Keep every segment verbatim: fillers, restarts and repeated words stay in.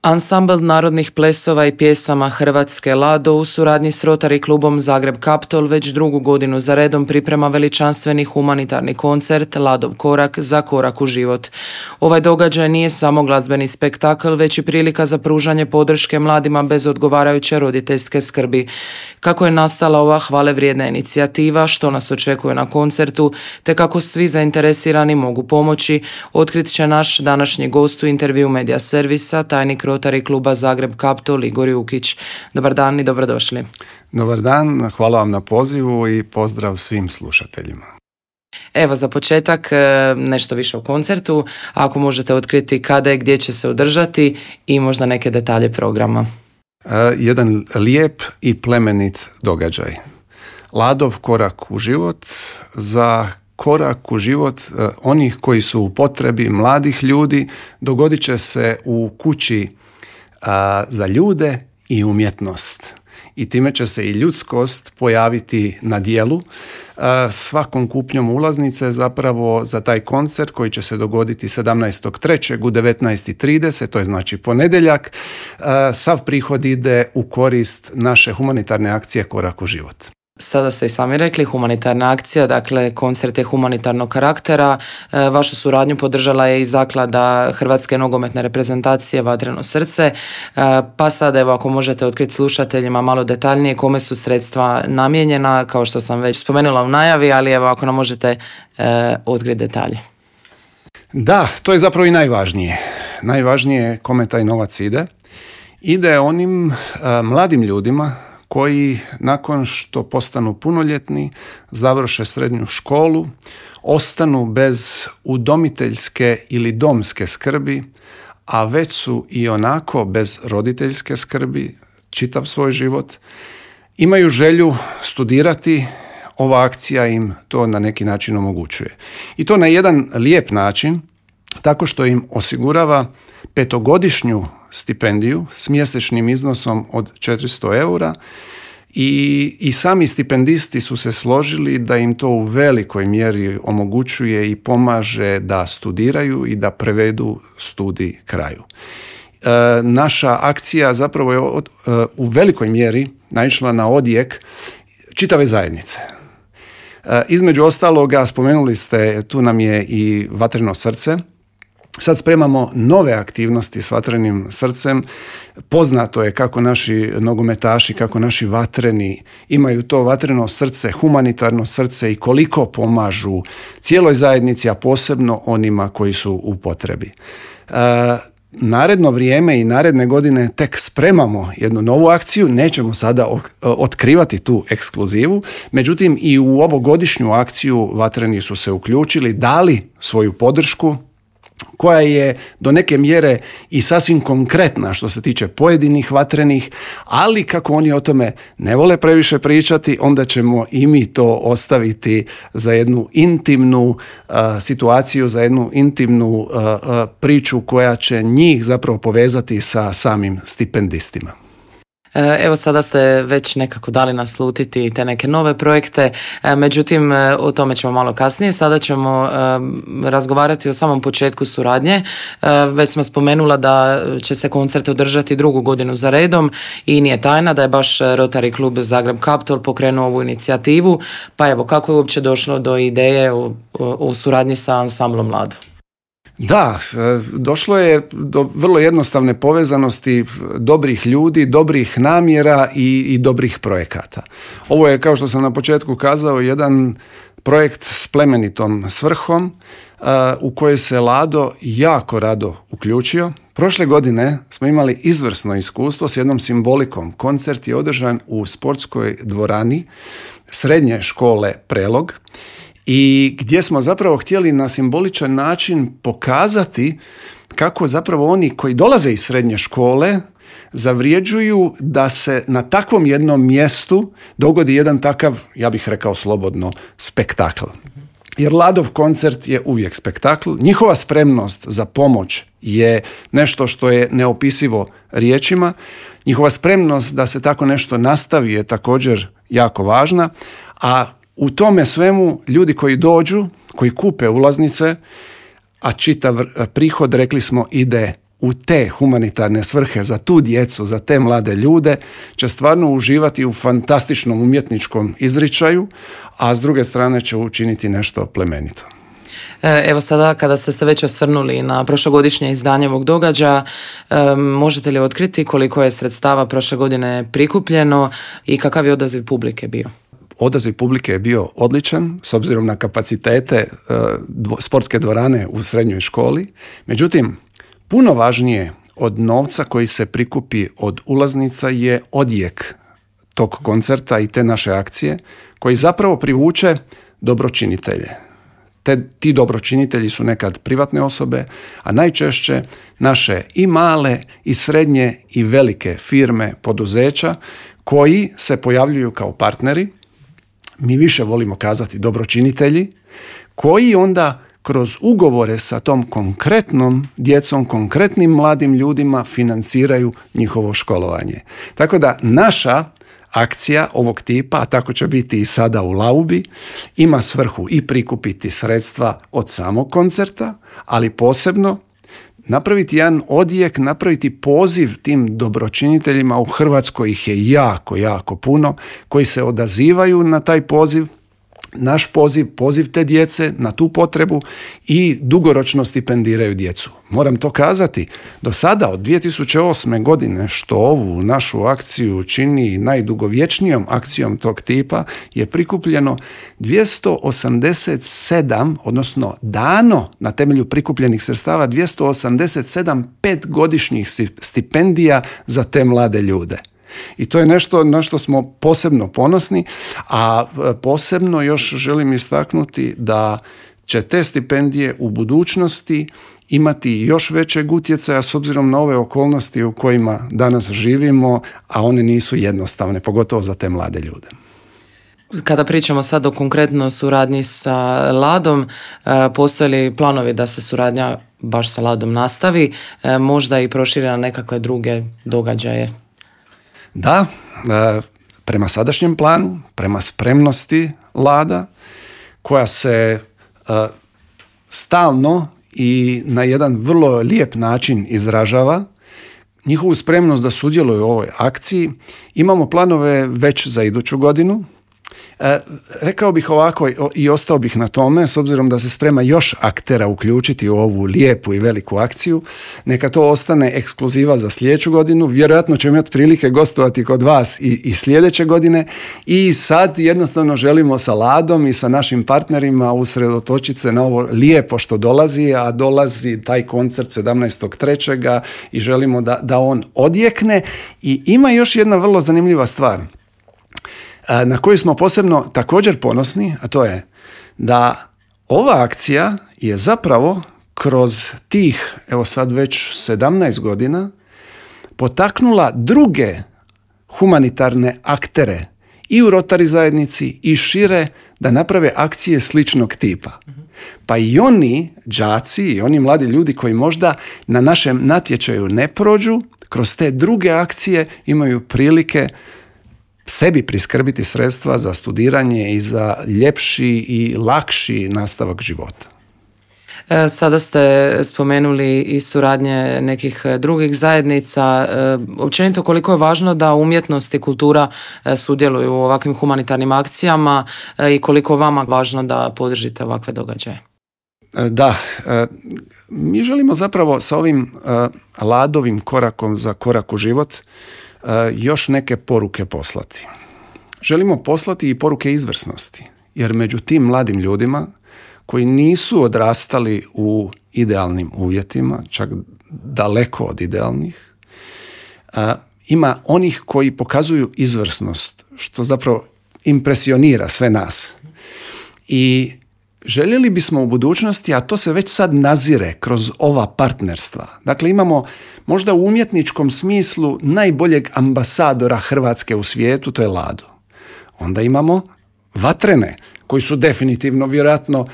Ansambl narodnih plesova i pjesama Hrvatske Lado u suradnji s Rotary klubom Zagreb Kaptol već drugu godinu za redom priprema veličanstveni humanitarni koncert Ladov korak za korak u život. Ovaj događaj nije samo glazbeni spektakl, već i prilika za pružanje podrške mladima bez odgovarajuće roditeljske skrbi. Kako je nastala ova hvale vrijedna inicijativa, što nas očekuje na koncertu, te kako svi zainteresirani mogu pomoći, otkrit će naš današnji gost u intervju Medija servisa, tajnik Rotary kluba Zagreb Kaptol Igor Jukić. Dobar dan i dobrodošli. Dobar dan, hvala vam na pozivu i pozdrav svim slušateljima. Evo za početak nešto više o koncertu, ako možete otkriti kada i gdje će se održati i možda neke detalje programa. Jedan lijep i plemenit događaj. Ladov korak u život za korak u život onih koji su u potrebi, mladih ljudi, dogodit će se u kući a, za ljude i umjetnost. I time će se i ljudskost pojaviti na djelu. A, svakom kupnjom ulaznice zapravo za taj koncert koji će se dogoditi sedamnaestog trećeg u devetnaest i trideset, to je znači ponedjeljak, a, sav prihod ide u korist naše humanitarne akcije Korak u život. Sada ste i sami rekli, humanitarna akcija, dakle koncert je humanitarnog karaktera. E, vašu suradnju podržala je i zaklada Hrvatske nogometne reprezentacije Vatreno srce. E, pa sada evo ako možete otkriti slušateljima malo detaljnije kome su sredstva namijenjena, kao što sam već spomenula u najavi, ali evo ako nam možete e, otkriti detalje. Da, to je zapravo i najvažnije. Najvažnije je kome taj novac ide. Ide onim a, mladim ljudima koji nakon što postanu punoljetni, završe srednju školu, ostanu bez udomiteljske ili domske skrbi, a već su i onako bez roditeljske skrbi čitav svoj život, imaju želju studirati, ova akcija im to na neki način omogućuje. I to na jedan lijep način, tako što im osigurava petogodišnju stipendiju s mjesečnim iznosom od četiristo eura i, i sami stipendisti su se složili da im to u velikoj mjeri omogućuje i pomaže da studiraju i da prevedu studij kraju. E, naša akcija zapravo je od, e, u velikoj mjeri naišla na odjek čitave zajednice. E, između ostaloga spomenuli ste, tu nam je i Vatreno srce. Sad spremamo nove aktivnosti s Vatrenim srcem. Poznato je kako naši nogometaši, kako naši vatreni imaju to vatreno srce, humanitarno srce i koliko pomažu cijeloj zajednici, a posebno onima koji su u potrebi. E, naredno vrijeme i naredne godine tek spremamo jednu novu akciju, nećemo sada otkrivati tu ekskluzivu, međutim i u ovogodišnju akciju vatreni su se uključili, dali svoju podršku, koja je do neke mjere i sasvim konkretna što se tiče pojedinih vatrenih, ali kako oni o tome ne vole previše pričati, onda ćemo i mi to ostaviti za jednu intimnu uh, situaciju, za jednu intimnu uh, uh, priču koja će njih zapravo povezati sa samim stipendistima. Evo sada ste već nekako dali naslutiti te neke nove projekte, međutim o tome ćemo malo kasnije. Sada ćemo razgovarati o samom početku suradnje. Već smo spomenula da će se koncert održati drugu godinu za redom i nije tajna da je baš Rotary klub Zagreb Kaptol pokrenuo ovu inicijativu. Pa evo, kako je uopće došlo do ideje o, o suradnji sa ansamblom Lado? Da, došlo je do vrlo jednostavne povezanosti dobrih ljudi, dobrih namjera i, i dobrih projekata. Ovo je, kao što sam na početku kazao, jedan projekt s plemenitom svrhom uh, u kojoj se Lado jako rado uključio. Prošle godine smo imali izvrsno iskustvo s jednom simbolikom. Koncert je održan u sportskoj dvorani srednje škole Prelog, i gdje smo zapravo htjeli na simboličan način pokazati kako zapravo oni koji dolaze iz srednje škole zavrijeđuju da se na takvom jednom mjestu dogodi jedan takav, ja bih rekao slobodno, spektakl. Jer Ladov koncert je uvijek spektakl. Njihova spremnost za pomoć je nešto što je neopisivo riječima. Njihova spremnost da se tako nešto nastavi je također jako važna, a u tome svemu ljudi koji dođu, koji kupe ulaznice, a čitav prihod, rekli smo, ide u te humanitarne svrhe za tu djecu, za te mlade ljude, će stvarno uživati u fantastičnom umjetničkom izričaju, a s druge strane će učiniti nešto plemenito. Evo sada kada ste se već osvrnuli na prošlogodišnje izdanje ovog događaja, možete li otkriti koliko je sredstava prošle godine prikupljeno i kakav je odaziv publike bio? Odaziv publike je bio odličan s obzirom na kapacitete dvo, sportske dvorane u srednjoj školi. Međutim, puno važnije od novca koji se prikupi od ulaznica je odjek tog koncerta i te naše akcije koji zapravo privuče dobročinitelje. Te, ti dobročinitelji su nekad privatne osobe, a najčešće naše i male i srednje i velike firme, poduzeća koji se pojavljuju kao partneri. Mi više volimo kazati dobročinitelji, koji onda kroz ugovore sa tom konkretnom djecom, konkretnim mladim ljudima financiraju njihovo školovanje. Tako da naša akcija ovog tipa, a tako će biti i sada u Laubi, ima svrhu i prikupiti sredstva od samog koncerta, ali posebno napraviti jedan odjek, napraviti poziv tim dobročiniteljima. U Hrvatskoj ih je jako, jako puno, koji se odazivaju na taj poziv, naš poziv, poziv te djece na tu potrebu i dugoročno stipendiraju djecu. Moram to kazati, do sada od dvije tisuće osme godine, što ovu našu akciju čini najdugovječnijom akcijom tog tipa, je prikupljeno dvjesto osamdeset sedam, odnosno dano na temelju prikupljenih sredstava dvjesto osamdeset sedam petgodišnjih stipendija za te mlade ljude. I to je nešto na što smo posebno ponosni, a posebno još želim istaknuti da će te stipendije u budućnosti imati još većeg utjecaja s obzirom na ove okolnosti u kojima danas živimo, a one nisu jednostavne, pogotovo za te mlade ljude. Kada pričamo sad o konkretno suradnji sa Ladom, postoje li planovi da se suradnja baš sa Ladom nastavi, možda i proširi na nekakve druge događaje? Da, prema sadašnjem planu, prema spremnosti Lada, koja se stalno i na jedan vrlo lijep način izražava, njihovu spremnost da sudjeluju u ovoj akciji, imamo planove već za iduću godinu. E, rekao bih ovako i ostao bih na tome, s obzirom da se sprema još aktera uključiti u ovu lijepu i veliku akciju, neka to ostane ekskluziva za sljedeću godinu. Vjerojatno ćemo imati prilike gostovati kod vas i, i sljedeće godine, i sad jednostavno želimo sa Ladom i sa našim partnerima usredotočiti se na ovo lijepo što dolazi, a dolazi taj koncert sedamnaestog trećeg i želimo da, da on odjekne. I ima još jedna vrlo zanimljiva stvar na koju smo posebno također ponosni, a to je da ova akcija je zapravo kroz tih, evo sad već sedamnaest godina, potaknula druge humanitarne aktere i u Rotary zajednici i šire da naprave akcije sličnog tipa. Pa i oni đaci i oni mladi ljudi koji možda na našem natječaju ne prođu, kroz te druge akcije imaju prilike sebi priskrbiti sredstva za studiranje i za ljepši i lakši nastavak života. Sada ste spomenuli i suradnje nekih drugih zajednica. Općenito koliko je važno da umjetnost i kultura sudjeluju u ovakvim humanitarnim akcijama i koliko je vama važno da podržite ovakve događaje? Da, mi želimo zapravo sa ovim Ladovim korakom za korak u život još neke poruke poslati. Želimo poslati i poruke izvrsnosti, jer među tim mladim ljudima koji nisu odrastali u idealnim uvjetima, čak daleko od idealnih, ima onih koji pokazuju izvrsnost, što zapravo impresionira sve nas. I željeli bismo u budućnosti, a to se već sad nazire kroz ova partnerstva. Dakle, imamo možda u umjetničkom smislu najboljeg ambasadora Hrvatske u svijetu, to je Lado. Onda imamo Vatrene, koji su definitivno, vjerojatno,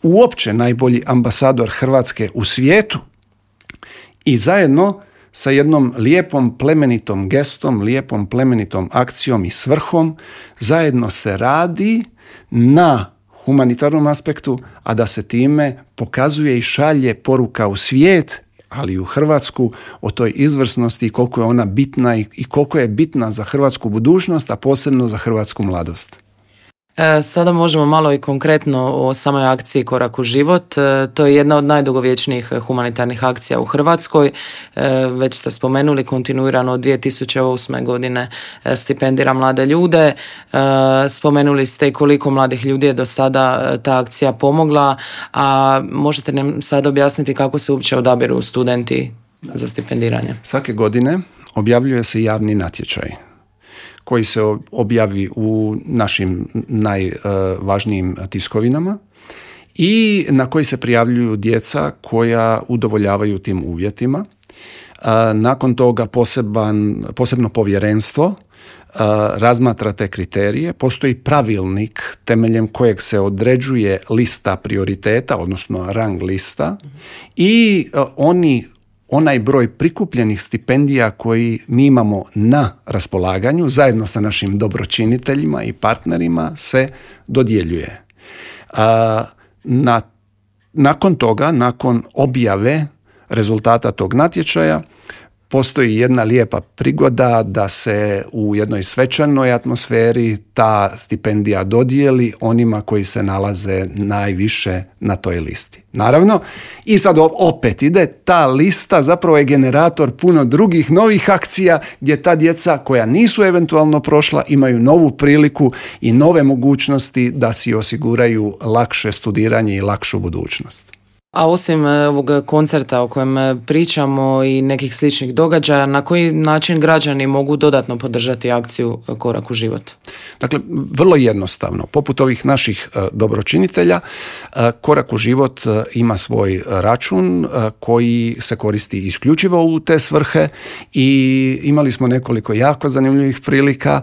uopće najbolji ambasador Hrvatske u svijetu. I zajedno sa jednom lijepom plemenitom gestom, lijepom plemenitom akcijom i svrhom, zajedno se radi na humanitarnom aspektu, a da se time pokazuje i šalje poruka u svijet, ali i u Hrvatsku, o toj izvrsnosti i koliko je ona bitna i, i koliko je bitna za hrvatsku budućnost, a posebno za hrvatsku mladost. E, sada možemo malo i konkretno o samoj akciji Korak u život. E, to je jedna od najdugovječnijih humanitarnih akcija u Hrvatskoj. E, već ste spomenuli, kontinuirano od dvije tisuće osme godine e, stipendira mlade ljude. E, spomenuli ste i koliko mladih ljudi je do sada e, ta akcija pomogla, a možete nam sad objasniti kako se uopće odabiru studenti za stipendiranje? Svake godine objavljuje se javni natječaj koji se objavi u našim najvažnijim tiskovinama i na koji se prijavljuju djeca koja udovoljavaju tim uvjetima. Nakon toga poseban, posebno povjerenstvo razmatra te kriterije. Postoji pravilnik temeljem kojeg se određuje lista prioriteta, odnosno rang lista, i oni onaj broj prikupljenih stipendija koji mi imamo na raspolaganju zajedno sa našim dobročiniteljima i partnerima se dodjeljuje. A, na, nakon toga, nakon objave rezultata tog natječaja, postoji jedna lijepa prigoda da se u jednoj svečanoj atmosferi ta stipendija dodijeli onima koji se nalaze najviše na toj listi. Naravno, i sad opet ide, ta lista zapravo je generator puno drugih novih akcija gdje ta djeca koja nisu eventualno prošla imaju novu priliku i nove mogućnosti da si osiguraju lakše studiranje i lakšu budućnost. A osim ovog koncerta o kojem pričamo i nekih sličnih događaja, na koji način građani mogu dodatno podržati akciju Korak u život? Dakle, vrlo jednostavno. Poput ovih naših dobročinitelja, Korak u život ima svoj račun koji se koristi isključivo u te svrhe i imali smo nekoliko jako zanimljivih prilika.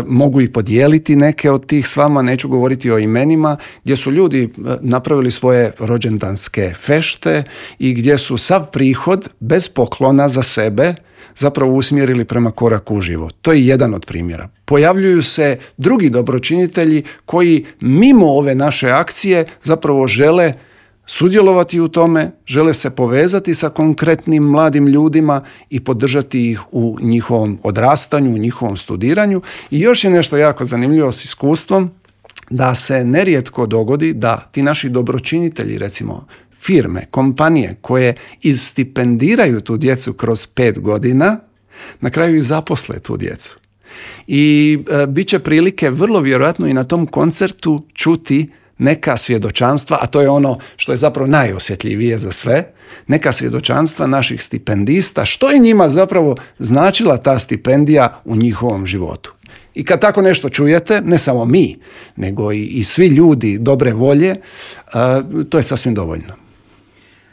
Mogu i podijeliti neke od tih s vama, neću govoriti o imenima, gdje su ljudi napravili svoje rođendanske fešte i gdje su sav prihod bez poklona za sebe zapravo usmjerili prema Koraku u život. To je jedan od primjera. Pojavljuju se drugi dobročinitelji koji mimo ove naše akcije zapravo žele sudjelovati u tome, žele se povezati sa konkretnim mladim ljudima i podržati ih u njihovom odrastanju, u njihovom studiranju. I još je nešto jako zanimljivo s iskustvom, da se nerijetko dogodi da ti naši dobročinitelji, recimo firme, kompanije koje izstipendiraju tu djecu kroz pet godina, na kraju i zaposle tu djecu. I e, bit će prilike vrlo vjerojatno i na tom koncertu čuti neka svjedočanstva, a to je ono što je zapravo najosjetljivije za sve, neka svjedočanstva naših stipendista, što je njima zapravo značila ta stipendija u njihovom životu. I kad tako nešto čujete, ne samo mi, nego i, i svi ljudi dobre volje, uh, to je sasvim dovoljno.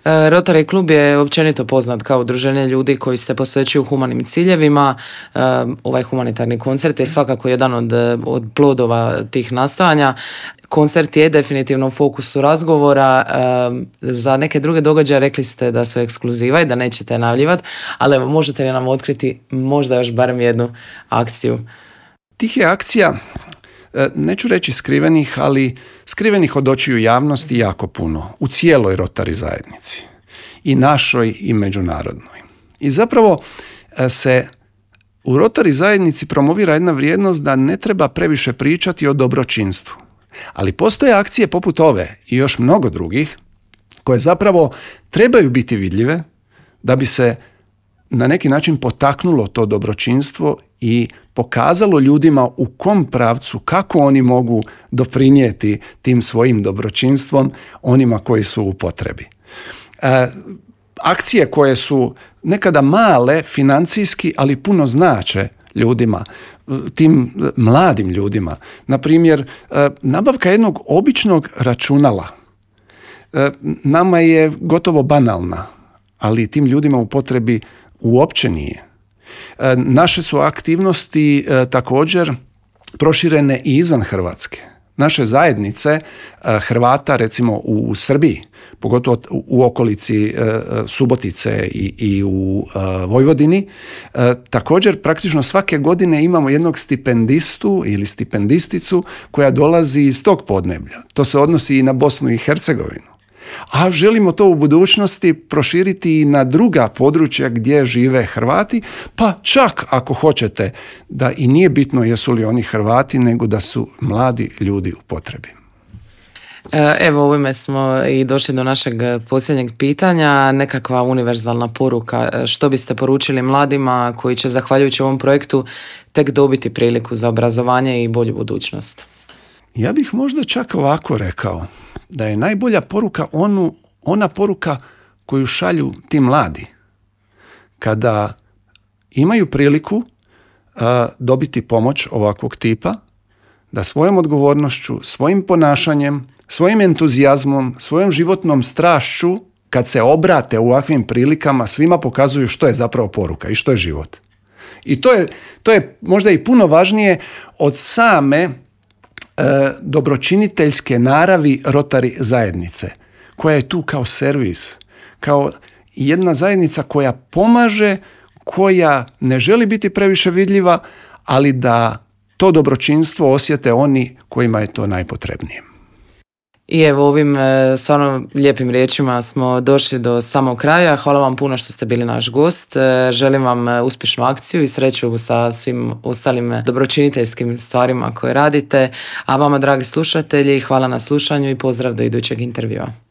Rotary klub je općenito poznat kao udruženje ljudi koji se posvećuju humanim ciljevima. Ovaj humanitarni koncert je svakako jedan od, od plodova tih nastojanja. Koncert je definitivno u fokusu razgovora. Za neke druge događaje rekli ste da su ekskluziva i da nećete najavljivati, ali evo, možete li nam otkriti možda još barem jednu akciju? Tih je akcija, neću reći skrivenih, ali skrivenih od očiju javnosti jako puno u cijeloj Rotary zajednici, i našoj i međunarodnoj. I zapravo se u Rotary zajednici promovira jedna vrijednost da ne treba previše pričati o dobročinstvu. Ali postoje akcije poput ove i još mnogo drugih koje zapravo trebaju biti vidljive da bi se na neki način potaknulo to dobročinstvo i pokazalo ljudima u kom pravcu, kako oni mogu doprinijeti tim svojim dobročinstvom onima koji su u potrebi. E, akcije koje su nekada male financijski, ali puno znače ljudima, tim mladim ljudima. Na primjer, e, nabavka jednog običnog računala e, nama je gotovo banalna, ali tim ljudima u potrebi uopće nije. E, naše su aktivnosti e, također proširene i izvan Hrvatske. Naše zajednice e, Hrvata, recimo u, u Srbiji, pogotovo u, u okolici e, Subotice i, i u e, Vojvodini, e, također praktično svake godine imamo jednog stipendistu ili stipendisticu koja dolazi iz tog podneblja. To se odnosi i na Bosnu i Hercegovinu. a želimo to u budućnosti proširiti i na druga područja gdje žive Hrvati, pa čak ako hoćete da i nije bitno jesu li oni Hrvati, nego da su mladi ljudi u potrebi. Evo, ovime smo i došli do našeg posljednjeg pitanja. Nekakva univerzalna poruka. Što biste poručili mladima koji će zahvaljujući ovom projektu tek dobiti priliku za obrazovanje i bolju budućnost? Ja bih možda čak ovako rekao, da je najbolja poruka onu, ona poruka koju šalju ti mladi. Kada imaju priliku uh, dobiti pomoć ovakvog tipa, da svojom odgovornošću, svojim ponašanjem, svojim entuzijazmom, svojom životnom strašću, kad se obrate u ovakvim prilikama, svima pokazuju što je zapravo poruka i što je život. I to je, to je možda i puno važnije od same e, dobročiniteljske naravi Rotary zajednice, koja je tu kao servis, kao jedna zajednica koja pomaže, koja ne želi biti previše vidljiva, ali da to dobročinstvo osjete oni kojima je to najpotrebnije. I evo, ovim stvarno lijepim riječima smo došli do samog kraja. Hvala vam puno što ste bili naš gost. Želim vam uspješnu akciju i sreću sa svim ostalim dobročiniteljskim stvarima koje radite. A vama, dragi slušatelji, hvala na slušanju i pozdrav do idućeg intervjua.